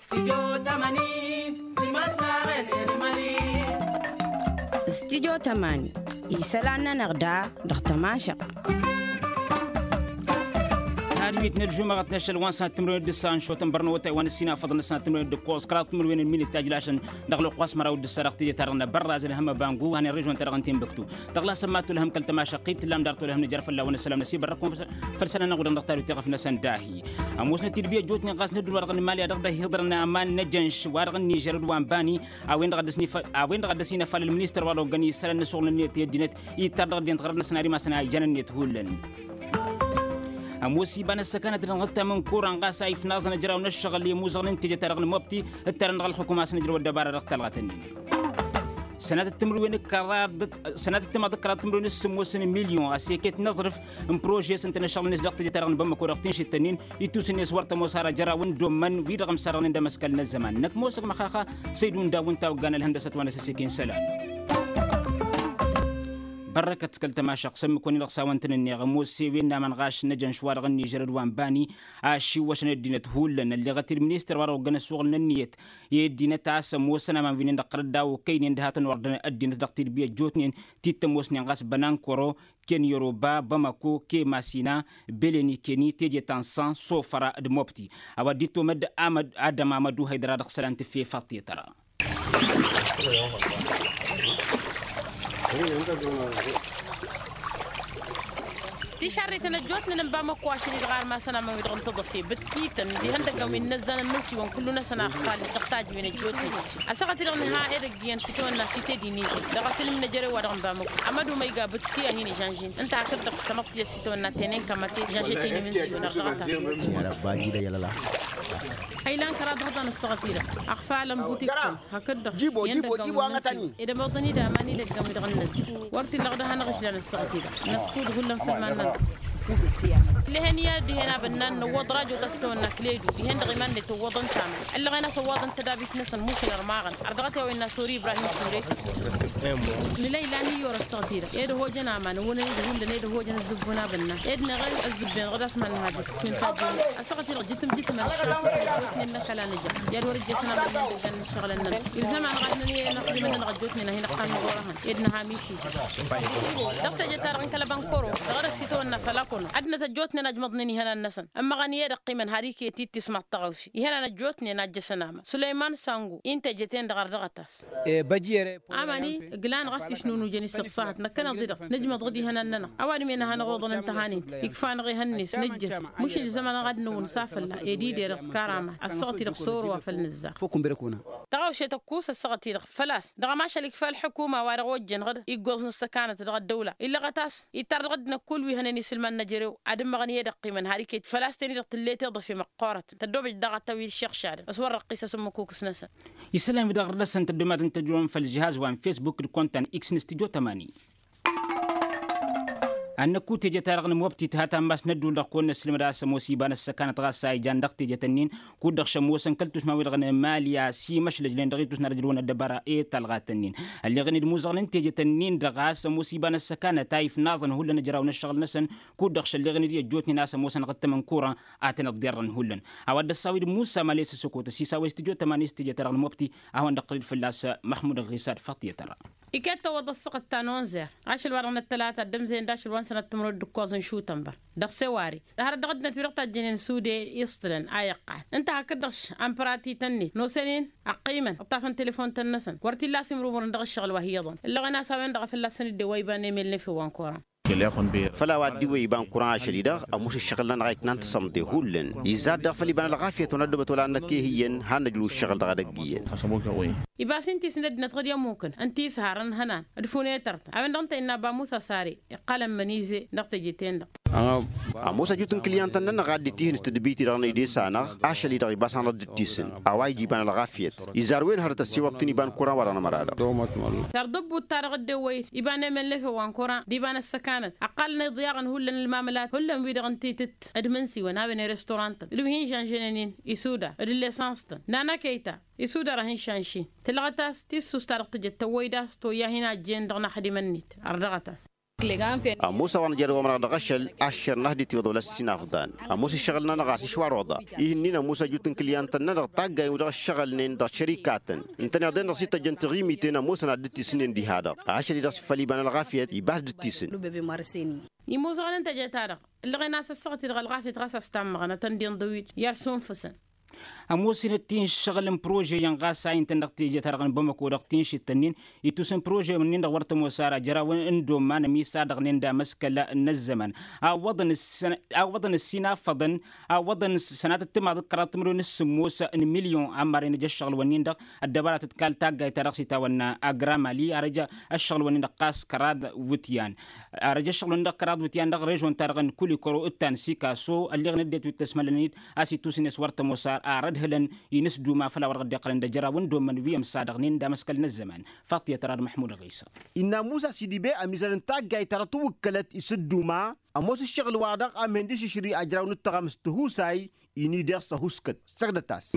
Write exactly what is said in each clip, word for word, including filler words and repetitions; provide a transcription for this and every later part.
Stidyo tămani isălan-nănăɣ da dăɣ-tămašăɣt. Hadbit n-ălžumăɣăt n-ašăl wa n-sănat timǝrwen d-ǝssa n-šotăn bărnăwătay wa n-ăssinafăḍăn n-sănat timǝrwen d-ǝkkoẓ kăraḍ timǝrwen n-minit tajlašăn dăɣ-lăqqu asmăraw d-ǝssa dăɣ-teje-ta-dăɣ n-abărraz ălhăm ăbangu han irrižon-ta-dăɣ n-tinbǝktu. Tăɣlasăm ma tolhăm kăl-tămašăqqit tǝllam dar tolhăm nǝjăr fălla-wen ăssălam năsibărrăkun. Făll-sănănăɣ-wi-dăɣ dăɣ-talwit iɣăf-năsăn dahi. Ămoosnăt-dd bi ăjjootnen ɣas nădduul wa dăɣ-nǝmalya dăɣ-dd-ăhhiḍărăn aman n-ejănš wa dăɣ-nižăr d-wa n-bani. A-wen-dăɣ a dd-ăsinăfal ălministăr wa dăɣ-oggăn isălan n-asuɣǝl n-ănniyăt i-ăddinăt. Ittăr dăɣ-ăddinăt ɣărăt-năsăn ad-imasăn a ijan ănniyăt hullan. Ămoos iba n-ăssăkanăt dăɣ-năɣ ǝttam n-kuran ɣas a ifnaẓăn ăjraw n-ăššăɣǝl i-imuzăɣăn n-teje-ta-dăɣ n-mobti. Ǝttarăn dăɣ-ălxukum a-s nǝjrăw ăddăbara dăɣ-talɣat-nin. Sănatăt timǝrwen d-kăraḍ d-kăraḍ timǝrwen d-sǝmmos n-milyon a-s iket n-aẓrǝf n-prože s-ǝntănăššăɣǝl-net dăɣ-teje-ta-dăɣ n-bamăko dăɣ-tinšǝttăn-in. Ittus-net wăr tămoos har ăjraw n-domman wi-dăɣ ămsarrănen d-amăskal n-ăzzăman năkk mosăg măxaxa. Săydun daw n-tawăgga n-ălhăndăsăt wa n-asăsek-in isălan. Bărrăkăt kăl-tămašăɣt s-ămmǝk-wăn-i-dăɣ s-a-wăn-tăn-ǝnneɣ ămoos i-wen n-aman ɣaš n-ejănš wa dăɣ-ănnižăr d-wa n-bani. Ašiwwăšăn ăddinăt hullan ălleɣăt-dd ministăr wa dăɣ-oggăn ăsuɣǝl n-ǝnniyăt i-ăddinăt a-s ămoosăn aman wi-nin-dăɣ tărăddaw ăkkăynen d-hatăn-ordăn ăddinăt dăɣ-tidbi ăjjootnen ti t-ămoosnen ɣas bănankoro, ken yoroba bamako ke masina, beleni keni teje ta n-san sofăra d-mobti. A-wa dd-ittomăd amăd adam amădu haydăra dăɣ-isălan tǝffefaḍ tetăra. Tišarreten ăjjootnen n-bamako ašăl-i-dăɣ armasăn amăn wi-dăɣ n-tăḍăfe bǝtkităn d-ihăndăggăn wi n-inăzzan n-imǝnsiwăn kullu-năsăn a ăxfalnen dăɣ-tajǝwen ăjjootnen. Ăssaɣăt-i-dăɣ nǝha edăgg iyyăn s-itawănna s-itedinize dăɣ-asǝlǝm n-ejărew wa dăɣ-n bamako. Amădu ma iga bǝtki a hin-ižănžin ǝnta hakd-dăɣ tamăḍt tiyyăt s-itawănna tenen kămate žănžet-i n-imǝnsiwăn ărrăɣăt-as. Hăylan kăraḍ ihăḍan ăssaɣăt-i-dăɣ ăxfalăn butikăn hakd-dăɣ. Jibo jibo jibo a-n ătani. Ed ămoḍăn-dd aman idăggăn wi-dăɣ n-năzz wăr t-illa ɣǝd a hanăɣ-išlan ăssaɣăt-i-dăɣ năskud hullan făll-iman-nănăɣ. Lehen i-ad-dihen abănnan năwwăḍ rajo ta s-tawănna kăledu dihen-dăɣ iman-net ăwwăḍăn tamănt ăllăɣen a-s ăwwaḍăn tădabit-năsăn mušǝl ărmaɣăn. Ărdăɣăt i-a-wa innă sori ibrahim ture. Nǝla ilan iyyăr ăssaɣăt-i-dăɣ ed ăhojăn aman ăwwănăn-dd hullan ed ăhojăn ăzzǝbbun abănnan ed năɣ ăzzǝbben ɣǝd a-s mannăha jǝt. Wi n-tajjǝn ăssaɣăt-i-dăɣ jǝtǝm jǝtǝm ălšafăt ălkotnen n-ăkall a nǝja i-ad-wăr-ǝjjăsăn aman n-indăggan n-ǝššăɣǝlăn-nănăɣ. Ilzam-anăɣ ad-nănăyăn ăxdimăn-nănăɣ ăjjootnen a hin-ăqqan n-ɣur-ehăn ed nǝha mišit. Dăɣ-teje-ta-dăɣ n-kăl-ăbankoro dăɣ-edăgg s-itawănna făll-akăno ad-dănăt ăjjootnen a ǝjmăḍnen ihănan-năsăn ǝmmăɣăn i-ed ăqqimăn har iket-dd tismaḍt tăɣawse ihănan ăjjootnen a ǝjjăsăn aman sulăyman sangu-i n-teje-ten-dăɣ ărdăɣăt-as. Aman-i ǝglan ɣas tišnunujăn-i s-ǝṣṣahăt năkkăneḍ-i-dăɣ nǝjmăḍ-dd ihănan-nănăɣ. A-wa dd-men a hanăɣ-oḍăn ǝnta a hanǝnt ikfa-anăɣ ehăn-net nǝjjăs mušǝl zăman-anăɣ ad-nǝwǝnsa fălla-i ed iderăɣ d-karamat. Ăssaɣăt-i-dăɣ s-orăwa făll-nǝzzaɣ. Tăɣawse tăkkus ăssaɣăt-i-dăɣ făl-a-s dăɣ-ămašal ikfa ălḥukuma wa dăɣ-ojjăn ɣǝd iggoẓ n-ăssăkanăt dăɣ-ăddăwla illăɣăt a-s ittar dăɣ-ăddinăt kull wi hănen isǝlman n-ejărew ad-ǝmmăɣăn i-ed ăqqimăn har iket făl-a-s ten-i-dăɣ tǝllet iḍǝfe măqqoorătăn tăddoobăj daɣ ad-tăwwid šiɣšadăn s-wăr răqqisăs ǝmmǝk ukǝs-năsăn. Isălan-wi-dăɣ ɣur-dăɣ-săn tăddomatăn tăjrăwăn făll-žihaz wa n-fesbuk d-kontan x n-studyo tămani. Ad-năkku teje-ta-dăɣ n-mobti tǝha tammas n-ădduul-dăɣ kăwăn-năssilmăd a-s ămoos iba n-ăssăkanăt ɣas a ijan dăɣ-tejet-ǝnnin kud-dăɣ šămoosăn kăl-tušma-wi-dăɣ n-emali a-s imăšlăjnen dăɣ-itusna ad-ăjrăwăn ăddăbara i-talɣat-ǝnnin. Ălleɣen-dd imuzăɣăn n-tejet-ǝnnin-dăɣ a-s ămoos iba n-ăssăkanăt a ifnaẓăn hullan ăjraw n-ǝššăɣǝl-năsăn kud-dăɣ šălleɣen-dd i-ăjjootnen a-s ămoosăn ɣǝttăm n-kuran. Ad-tăn-ăḍḍerrăn hullan a-wa dd-ăssawid musa males ăsokot ăsisawăy studyo tămani s-teje-ta-dăɣ n-mobti a hawăn-dd-ăqqălăd fălla-s măxmud ăɣisad făṭṭiyăt-ărra. Iket tăwwăḍ ăssaɣăt ta n-onzer ašăl-wa-dăɣ n-ăttălata dd-ămzăyăn d-ašăl wa n-sănat timǝrwed d-ǝkkoẓ n-šutănbăr dăɣ-sewari. Hărăt dăɣ-ăddinăt wi-dăɣ tajjănen sude iṣtǝlăn a iqqal ǝnta hakd-dăɣ š-ampratit-net nosăn-in ăqqimăn ǝṭṭafăn telefon-tăn-năsăn wăr t-illa a-s imrumurăn dăɣ-ǝššăɣǝl wa hi-iyyăḍăn. Ǝllăɣen a-s a-wen-dăɣ a fălla-săn dd-ewăyba n-emel n-efew wa n-koran. Făll-a-wa dd-iwăyba n-kuran ašăl-i-dăɣ ămoos ǝššăɣǝl-nănăɣ a itnan tǝsămḍe hullan. Izzar daɣ făll-iba n-ălɣafyăt wa n-ăddăbăt wăla n-năkk i-hi iyyăn har năjrǝw ǝššăɣǝl dăɣ-edăgg iyyăn. Iba s-inta isnăddinăt ɣǝd i-ămmukăn ǝnta i-s harăn ihănan d-funetăr-tăn a-wen-dăɣ ǝnta innă ăba musa sare iqqălăn mănize dăɣ-teje-ten-dăɣ. Ămoos ăjut n-kǝlyăn-tăn-nănăɣ a dd-itihǝn s-tadbit-i-dăɣ n-edes-anăɣ ašăl-i-dăɣ iba s-hanăɣ-dd-ǝttisǝn a-wa ija iba n-ălɣafyăt. Izzar wen hărăt ăssiwăḍ-t-in iba n-kuran wa-dăɣ n-ămăra-dăɣ. Tărdǝbbut-ta-dăɣ dd-ewwăyăt iba n-emel n-efew wa n-kuran d-iba n-ăssăkanăt ăqqalăn iḍyaɣăn hullan ălmamǝlat hullan wi-dăɣ ǝnta itǝtt d-imǝnsiwăn a-wen i-restorantăn d-wi hin-žănžănen-in isudar d-lesans-tăn nanăkăy ta isudar a hin-šanši. Tǝlɣăt a-s tissust ta dăɣ-tǝjăt tăwwăy d-a-s toyya a hin-ajjen dăɣ-inaxdimăn-net ărdăɣăt-as. Ămoos a-wa nǝjăr i-wamăr-nănăɣ dăɣ-ašăl aššăr n-ad-dd-tiwăḍ wăla s-inafḍan. Ămoos ǝššăɣǝl-nănăɣ a-s išwar oḍa. Ihǝnnin ămoos ăjut n-kǝlyantăn-nănăɣ taggayen wi-dăɣ ǝššăɣǝlnen dăɣ-šărikatăn ǝntăneḍ-en-dăɣ s-ităjjăn tiɣimiten ămoosăn ad-dd-tisǝnnen diha-dăɣ. Ašăl-i-dăɣ s-făll-iba n-ălɣafyăt iba ad-dd-tisǝn. Imoẓăɣăn n-teje-ta-dăɣ ǝllăɣen a-s ăssaɣăt-i-dăɣ ălɣafyăt ɣas a-s tammăɣăn ad-tăn-dd-inḍǝwit i-ad-sunfǝsăn. Ămoosăn d-tinšăɣǝl n-prožeyăn ɣas a intăn dăɣ-teje-ta-dăɣ n-bamăko dăɣ-tinšǝt-tăn-in itusǝn prožeyăn-in-dăɣ wăr tămoos ara jer-a-wen n-domman ămisadăɣnen d-amăskăl n-ăzzăman. Awwăḍăn ǝssin afăḍăn awwăḍăn sănatăt timaḍ d-kăraḍ timǝrwen s-sǝmmos n-milyon ămmaren ija ăššăɣǝl-wen-in-dăɣ ăddăbara tǝtkal taggayt-ta-dăɣ s-itawănna agramali ar ija ăššăɣǝl-wen-in-dăɣ ɣas kăraḍ wǝtyan. Ar ija ăššăɣǝl-wen-in-dăɣ kăraḍ wǝtyan dăɣ-režon-ta-dăɣ n-kulikoro d-ta n-sikaso ălleɣ n-ăddinăt wi t-ăsmălăn-dd a-s itusǝn i-s wăr tămoos ar ad-hǝlăn inǝsduma făll-a-wa dăɣ-dd-iqqălăn d-ajăraw n-dommăn wi ămsadăɣnen d-amăskăl n-ăzzăman. Faḍt i-ad-tărad măḥmud ɣisa. Innă musa s-idibey ămizăr n-taggayt-ta-dăɣ tǝwwǝkkălăt isǝdduma ămoos ǝššăɣǝl-wa-dăɣ a mǝhǝndǝšǝšri ajraw n-ǝttăɣamǝs tihusay. Ini deɣ s-ăhuskăt săgdăt-as.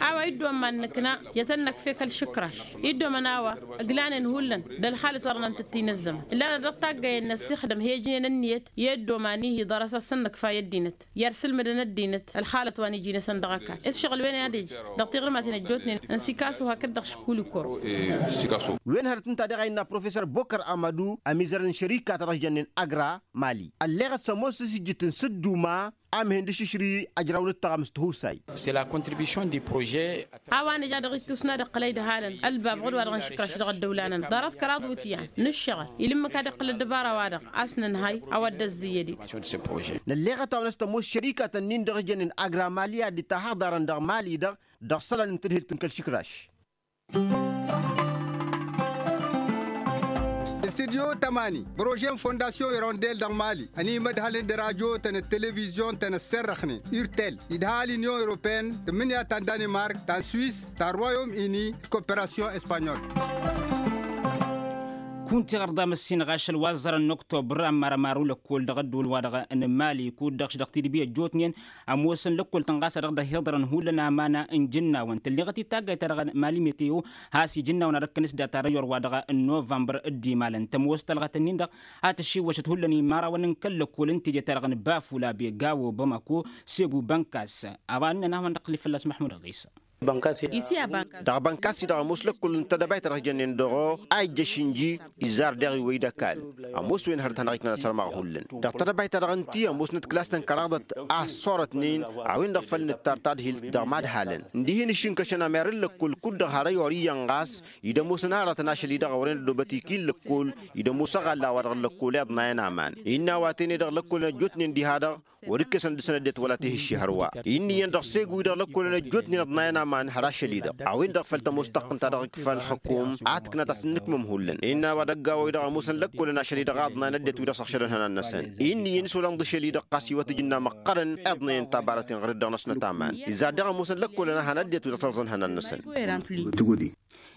A-wa iddomman nǝkna i-ad-tăn-năkf i-kăl-išǝkraš. Iddomăn a-wa ǝglanen hullan d-ălxalăt wa dăɣ-năn tǝttin ăzzăman ǝllanăt dăɣ-taggăyăn n-ăssixdăm he-ǝjnen ǝnniyăt i-ăddoman-i hi-ḍarăs ad-săn-năkf a i-ăddinăt i-ad-sǝlmǝdăn ăddinăt ălxalăt wa n-iji-năsăn dăɣ-ăkall. Ǝššăɣǝl-wen i-ad-ija dăɣ-tiɣrǝmaten ăjjootnen n-sikasu hakd-dăɣ šikulikoro. Wen hărăt ǝnta daɣ a innă professor bokăr amădu ămizăr n-šărika ta dăɣ-s jănnen agra mali ălleɣăt s-ămoos s-ijjǝt n-sǝdduma. Amhen d-ašǝšrǝy ajraw n-ǝttăɣăm s-tihusay. A-wa nǝja dăɣ-ittus n-ad-iqqăl a idhalăn ălbab ɣud-wa-dăɣ n-išǝkraš dăɣ-ăddăwla-nănăɣ ḍarăt kăraḍ iwǝtyan n-ǝššăɣǝl ila ǝmmǝk ad-iqqǝl ăddăbara-wa-dăɣ a-s nǝnhăy a-wa dd-ăzzǝyyăd-dd. Nălleɣăt a-wen s-tămoos šărikatăn-in-dăɣ ǝjănnen agramali ad-dd-tahăḍarăn dăɣ-mali-dăɣ dăɣ-isălan n-tadhǝlt n-kăl-išǝkraš. Studyo tămani prože n-fondasyon irondel dăɣ-mali ănimădhălăn d-radyo-tăn d-televizyon-tăn ăsserrăxnen urtel idhal inyon europene tǝmmǝnǝya ta n-danimark ta n-swis ta n-royom ini d-koperasyon espanyol. Kunta iɣărḍa măssinăɣ ašăl wa ăẓẓărăn n-oktobăr ămmarămaru lăkkol dăɣ-ăddul wa-dăɣ n-mali kud-dăɣ tidǝbi ăjjootnen ămoosăn lăkkol-tăn ɣas a dăɣ-dd-ăhiḍărăn hullan aman n-ijǝnnawăn tǝlleɣăt-dd taggayt-ta-dăɣ n-mali meteo has-ijǝnnawăn ad-ǝkkăn s-data răyor-wa-dăɣ n-novămbăr. D-imalăn tămoos tălɣătăn-in-dăɣ a tăšiwwăšăt hullan imărawăn n-kăl-lăkkol n-teje-ta-dăɣ n-bafula begawo bamako segu bănkas. A-wa ǝnnăn a hawăn-dd-ăqqǝl-i fălla-s măḥmud ăɣisa. Dăɣ-bănkas-i-dăɣ ămoos lăkkol n-tedăbayt ta dăɣ-s jănnen dăɣ-o a ijjăš inji izzar deɣ iwwăy d-ăkall. Ămoos wen hărăt hanăɣ-iknăn asărmaɣ hullan dăɣ-tedăbayt ta dăɣ-ǝnti ămoosnăt klas-tăn kăraḍăt a ăṣṣorătnen a-wen-dăɣ făl nǝttar tadhilt dăɣ-imadhalăn. Ǝndihin ǝššǝnkăšăn ămer n-lăkkol kud-dăɣ har ăyor iyyăn ɣas id-ămoosăn aratăn ašăl-i-dăɣ a wărăn ăddoobăt ikil lăkkol id-ămoos ăɣalla-wa-dăɣ n-lăkkol i-ăḍnayăn aman. Innă a-wa tene-dăɣ lăkkolăn ăjjootnen diha-dăɣ wăr-ǝkkesăn dăɣ-săn ăddinăt wăla tihǝšši hărwa. Inn'-iyyăn dăɣ-segu-i-dăɣ lăkkolăn ăjjootnen ăḍnayăn aman har ašăl-i-dăɣ a-wen-dăɣ făl tămoos taqqǝnt ta dăɣ-ikfa ălxǝkum a tǝknat a-s ǝnnǝkmăm hullan. Innă a-wa dăgg-a-wa-i-dăɣ ămoosăn lăkkolăn ašăl-i-dăɣ a ăḍnayăn ăddinăt-wi-dăɣ s-ăɣšădăn ihănan-năsăn. Inn'-iyyăn s-olăn ḍǝšel-i-dăɣ ɣas iwăt ijǝnna măqqărăn i-ăḍnăyăn tabarăten ɣur-dd-dăɣ-năsnăt aman. Izzar daɣ ămoosăn lăkkolăn a han ăddinăt-wi-dăɣ s-ărẓăn ihănan-năsăn.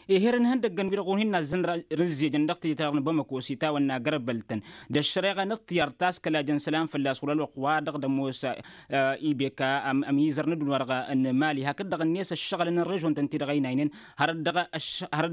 Ehăr n-ihăndăgg n-wi-dăɣ wăr hin-nazzăn rǝzzejăn dăɣ-teje-ta-dăɣ n-bamăko s-itawănna gărbăl-tăn d-ăššăreɣa n-ǝṭṭǝyar taskălajăn isălan fălla-s wăr-ălwăqq-wa-dăɣ d-ămoos. Ibeka ămizăr n-ăddunya-wa-dăɣ n-mali hakd-dăɣ-net ăššăɣǝlăn n-režon-tăn-ti-dăɣ ăynaynen hărăt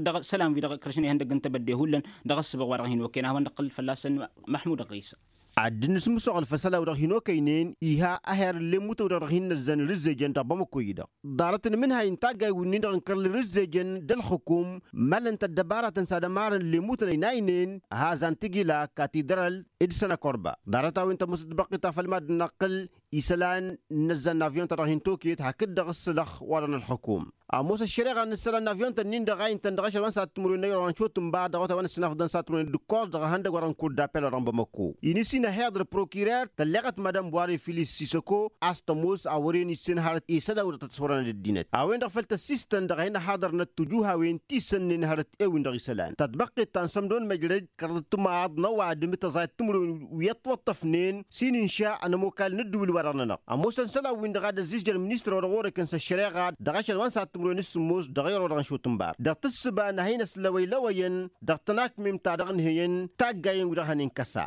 dăɣ-isălan-wi-dăɣ ǝkrăšăn ihăndăgg n-tebădde hullan dăɣ-ǝssǝbăɣ wa-dăɣ hin-okăyăn a hawăn-dd-iqqǝl fălla-săn. Măḥmud ăɣisa. Ad-dd-nǝsmǝsăɣ ălfăsăla-wi-dăɣ hin-okăynen iha ăher n-lemmutăn-wi-dăɣ dăɣ-hin-năzzăn irǝzzejăn dăɣ-bamăko-i-dăɣ ḍarăt n-imǝnhay n-taggay wi-nin-dăɣ ǝnkăr irǝzzejăn d-ălxǝkum. Mălăn-t ăddăbaratăn s-ad-ămarăn lemmutăn ăynaynen hazan tǝgila katidral d-sănăkorba. Ḍarăt-a-wen tămoos tătbăqqit ta făll-mad-năqqǝl isălan n-inăzzan n-avyon-ta-dăɣ hin-toket hakd-dăɣ ǝssǝlăx wa-dăɣ n-ălxǝkum. Ămoos ăššăreɣa n-isălan n-avyon-tăn-in-dăɣ a intăn dăɣ-ašăl wa n-săhat timǝrwen n-ayǝrăwăn šotǝnba dăɣ-otawăn ăssinafḍăn săhat timǝrwen d-ǝkkoẓ dăɣ-ehăndăgg wa-dăɣ n-kur d-apel wa-dăɣ n-bamăko. Inǝs-in ăhiḍăr prokirer tălleɣăt madam boire filis sisăko a-s tămoos a wăren issen hărăt isălan-wi-dăɣ tăt-ăswărăn d-ăddinăt a-wen-dăɣ făl tăssistăn dăɣ-a hin-ăhaḍărnăt tijuhawen ti sănnen hărăt ewin dăɣ-isălan tătbăqqet ta n-sămdon măjrăj kăraḍăt timaḍ n-ăwadǝm d-tăẓayăt timǝrwen wi ătwăṭṭăfnen s-inǝnša ănămokal n-ǝddǝwǝl-wa-dăɣ-nănăɣ. Ămoosăn isălan-win-dăɣ a dd-ăzzizjăn ministăr-wa-dăɣ orăkăn s-ăššăreɣa dăɣ-ašăl wa n-săhat timǝrwen s-sǝmmos dăɣ-ayăr wa-dăɣ n-šotǝnbar dăɣ-tǝssǝba n-ad-hin-ăslăwăylăwăyăn dăɣ-tănakmem ta dăɣ-nǝhǝyăn taggayen-wi-dăɣ hănen kăsa.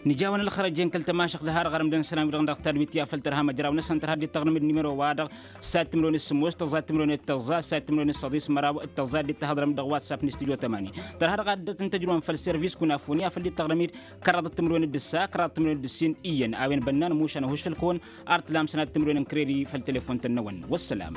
Nǝja-wăn ălxărăjen kăl-tămašăɣt d-ha-dăɣ ărăm d-ănsanăn wi-dăɣ dăɣ-tadwit i-afăl tărha măjraw-năsăn tărha dd-taɣrǝm d-nimero-wa-dăɣ. Sat timǝrwen s-sǝmmos tăẓẓa timǝrwen d-tăẓẓa sat timǝrwen s-săḍis măraw d-tăẓẓa dd-taɣrǝm dăɣ-watsap n-studio tămani. Tărha dăɣ-addăt n-tăjrăwăn făll-servis kunafoni afăl dd-taɣrǝm-dd kăraḍăt timǝrwen d-ǝssa kăraḍăt timǝrwen d-ǝssin iyyăn a-wen bănnan mušan ăhuššăl-kăwăn. Ar tǝlam sănat timǝrwen n-kăreri făll-telefon-tăn-năwăn wăssălam.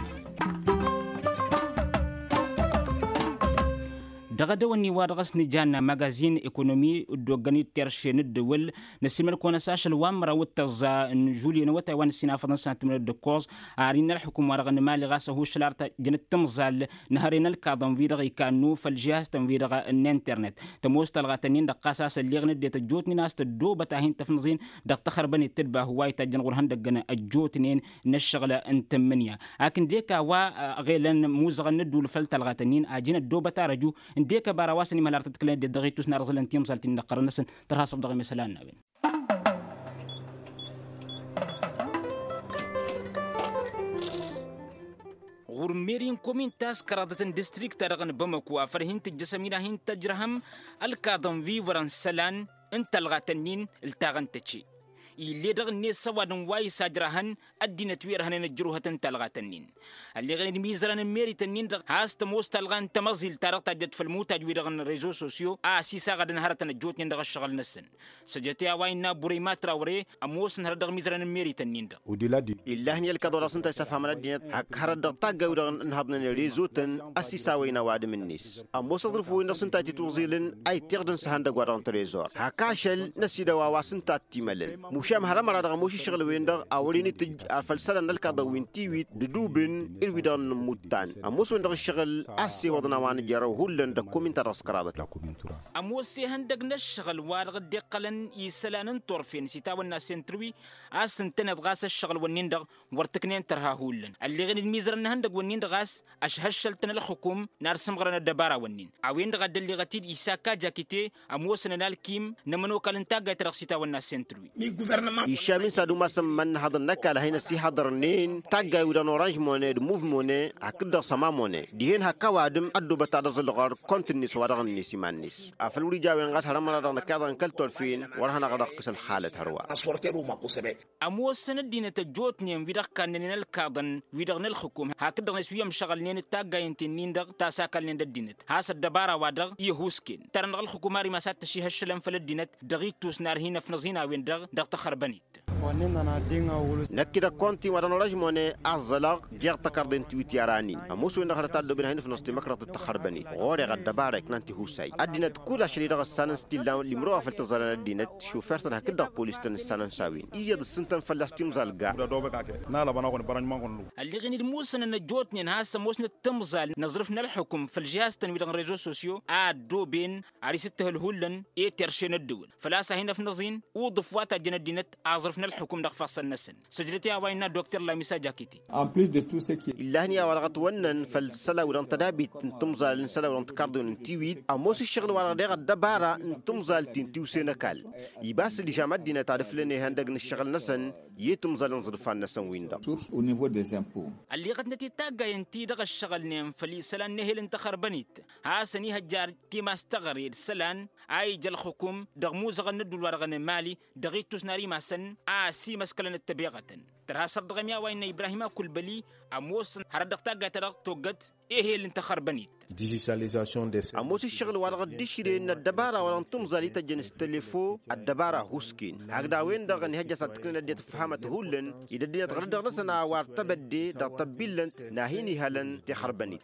Dăɣ-edăwănni wa dăɣ-s nǝjanna magazin ekonomi dd-oggăn-dd terše n-ǝddǝwǝl. Năsimăl-kăwăn-ăsašăl wa n-măraw d-tăẓẓa n-žulye n-awătay wa n-ǝssin afăḍăn sănat timǝrwen d-ǝkkoẓ. Ar innă ălxukum wa dăɣ-nǝmali ɣas ăhuššăl ar tăjjăn d-timẓal n-hărăy n-ălkaḍăn wi-dăɣ ikannu făll-žihaz-tăn wi-dăɣ n-internet. Tămoos talɣa-tăn-in-dăɣ ɣas a-s ălleɣ n-ăddinăt ăjjootnen a-s tăddoobăt a hin-tăfnăẓin dăɣ-taxărbănet tǝdba hǝwayt tajjăn ɣur-ihăndăggăn ăjjootnen n-ǝššăɣǝl n-tǝmmǝnǝya. Ak ǝndek a-wa ăɣelăn imuzăɣăn n-ădduul făll-talɣa-tăn-in ajăn ăddoobăt arăju ǝndek ăbara wa s-ănimhăl ar tăt-ǝklăn ăddinăt dăɣ-ittus n-arǝẓǝlăn timẓal-t-in dăɣ-iqqărăn-năsăn. Tărha săf dăɣ-emesălan n-a-wen. Ɣur-meri n-komin ta s-kăraḍăt n-distrikt-ta-dăɣ n-bamăko afăl hin-tǝjjăsăm-in a hin-tăjrăhăm ălkaḍăn wi vărăn isălan n-talɣa-tăn-in ǝltaɣăn tăce. Ill'-e dăɣ-net s-ăwadǝm wa isajrăhăn ăddinăt wi ărhănen ăjrǝwhăt n-talɣa-tăn-in. Ălleɣen d-imizărăn n-meri-tăn-in-dăɣ has-tămoos talɣa n-tamăẓilt-ta-dăɣ tajjăt făll-imutaj-wi-dăɣ n-rezo sosyo a ăsisaɣădăn hărătăn ăjjootnen dăɣ-ǝššăɣǝl-năsăn. Săjdăt i-a-wa innă burăy matrawre ămoosăn hărăt dăɣ-imizărăn n-meri-tăn-in-dăɣ. Ill'-ahăn i-ălkaḍ wa dăɣ-s ǝnta isăfhamăn ăddinăt hak hărăt dăɣ-tagga-wi-dăɣ ǝnhăḍnen rezo-tăn. Ăsisawăyăn ăwadǝm-net ămoos aẓrǝf-wen-dăɣ s-ǝnta a t-itwăẓilăn a ittiɣdăn s-ehăndăgg-wa-dăɣ n-trezor hak ašăl n-ăsidăw a-wa s-ǝnta a t-imălăn. Mušam har ămăra-dăɣ ămoos iššăɣǝl-wen-dăɣ a wăren itǝjj afăl isălan n-ălkaḍăn wi n-tiwit d-idubǝn d-wi-dăɣ n-inǝmmuttan. Ămoos-wen-dăɣ ǝššăɣǝl a ăssewăḍăn a-wa nǝjărăw hullan dăɣ-komin-ta-dăɣ s-kăraḍăt. Ămoos ihăndăgg n-ǝššăɣǝl wa dăɣ-dd-iqqălăn isălan n-turfen s-itawănna sentǝrwi a-s ǝntăneḍ ɣas ǝššăɣǝl-wǝnnin-dăɣ wăr tǝknen tărha hullan ălleɣen d-imizărăn n-ihăndăgg-wǝnnin-dăɣ a-s ăšhăššăl-tăn ălxukum n-ad-sǝmɣărăn ăddăbara-wǝnnin. A-wen-dăɣ a dd-ălleɣăt-dd isaka jakite ămoosăn ănalkim n-ămănokal n-taggayt-ta-dăɣ s-itawănna sentǝrwi. Iššam-in s-ad-umasăn iman n-ehăḍăn n-ăkall a hin-ăsihăḍărnen taggay-wi-dăɣ n-oranž mone d-muv mone hakd-dăɣ săma mone dihen hak ăwadǝm ăddoobăt ad-ăẓǝlɣăr kont-net wa dăɣ-net iman-net. Afăl wăr-ija a-wen ɣas har ămăra-dăɣ năkk iḍa n-kăl-turfen wăr hanăɣ-dăɣ-ǝkkǝs ălxalăt hărwa. Ămoosăn ăddinăt ăjjootnen wi-dăɣ kannănen ălkaḍăn wi-dăɣ n-ălxǝkum hakd-dăɣ-net wi ămšăɣălnen d-taggayen ti-nin-dăɣ ta s-akălnen d-ăddinăt has-ăddăbara-wa-dăɣ i-ăhuusken. Tărăn dăɣ-ălxǝkum ar imas ad-t-ăšihăššălăn făll-ăddinăt dăɣ-ittus n-ar hin-ăfnăẓ-in a-wen-dăɣ dăɣ-taxărbănit. Năkk-i dăɣ-konti wa dăɣ-nărăžmone aẓălăɣ jeɣ tăkarḍe n-tiwit i-aranin ămoos-wen-dăɣ hărăt a ăddooben a hin-ǝfnăẓ timăkrăḍt d-taxărbănit ɣur-e ɣăddăbara iknan tihusa-i ăddinăt kull ašăl-i-dăɣ ǝssanăn s-t-illa limro wa făl tăẓẓalăn ăddinăt. Šufert-tăn hakd-dăɣ polis-tăn ǝssanăn s-a-wen iyyăḍ ǝssǝntăn fălla-s timẓal ga. Ălleɣen-dd musănăn ăjjootnen has-ămoosnăt timẓal n-aẓrǝf n-ălxukǝm făll-žihaz-tăn-wi-dăɣ n-rezo sosyo a ăddooben ar isǝttǝhǝl hullan i-terše n-ăddǝwǝl făl-a-s a hin-ăfnăẓ-in uḍǝf wa tajjăn ăddinăt aẓrǝf n-ălxukǝm dăɣ-ifassăn-năsăn. Săjdăt i-a-wa innă dokter lamisa jakiti. Illahăn i-a-wa-dăɣ ătwănnăn făll-isălan-wi-dăɣ n-tădabit n-timẓal n-isălan-wi-dăɣ n-tikarḍiwen n-tiwit ămoos ǝššăɣǝl-wa-dăɣ deɣ ăddăbara n-timẓal ti n-tiwse n-ăkall. Ibas dd-išam ăddinăt ad-ǝflăn ihăndăg n-ǝššăɣǝl-năsăn i-timẓal n-iẓrǝfan-năsăn-win-dăɣ. Ălleɣătnăt i-taggayen-ti-dăɣ ăššăɣǝlnen făll-isălan n-ehel n-taxărbănit hasăn-ihăjjar timas teɣăre d-isălan a ija ălxukum dăɣ-imuzăɣăn n-ădduul-wa-dăɣ n-emali dăɣ-ittus n-ar imasăn a ăsimăskălăn d-tăbeɣătăn. Tărha săr dăɣ-emya wa innă ibrahim akulbăli ămoosăn hărăt dăɣ-taggayt-ta-dăɣ toggăt ehel n-taxărbănit. Ămoos ǝššăɣǝl-wa-dăɣ dd-išrǝyăn n-ăddăbara-wa-dăɣ n-timẓal i-tăjjăn s-telefo ăddăbara husken hakd a-wen-dăɣ ănihăjja s-ad-tǝknen ăddinăt ǝfhamat hullan ed ăddinăt ɣărăt dăɣ-năsăn a-wa ărtăbădde dăɣ-tăbbillănt n-ad-hin-ihălăn tixărbănit.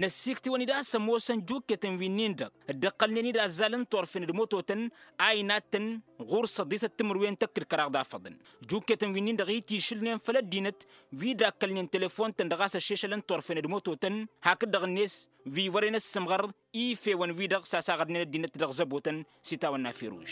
Năssiktǝwăn-dd a-s ămoosăn jukketăn wi-nin-dăɣ dd-ǝqqălnen-dd azzal n-turfen d-mototăn a inattăn ɣur-săḍisăt timǝrwen tăkk d-kăraḍ afăḍăn. Jukketăn wi-nin-dăɣ itišǝlnen făll-ăddinăt wi dd-akkălnen telefon-tăn dăɣ-a-s ăššešălăn turfen d-mototăn hakd-dăɣ-net wi wăren ăssǝmɣăr ifewăn-wi-dăɣ sasaɣădnen ăddinăt dăɣ-zăbotăn. S-itawănna firuš.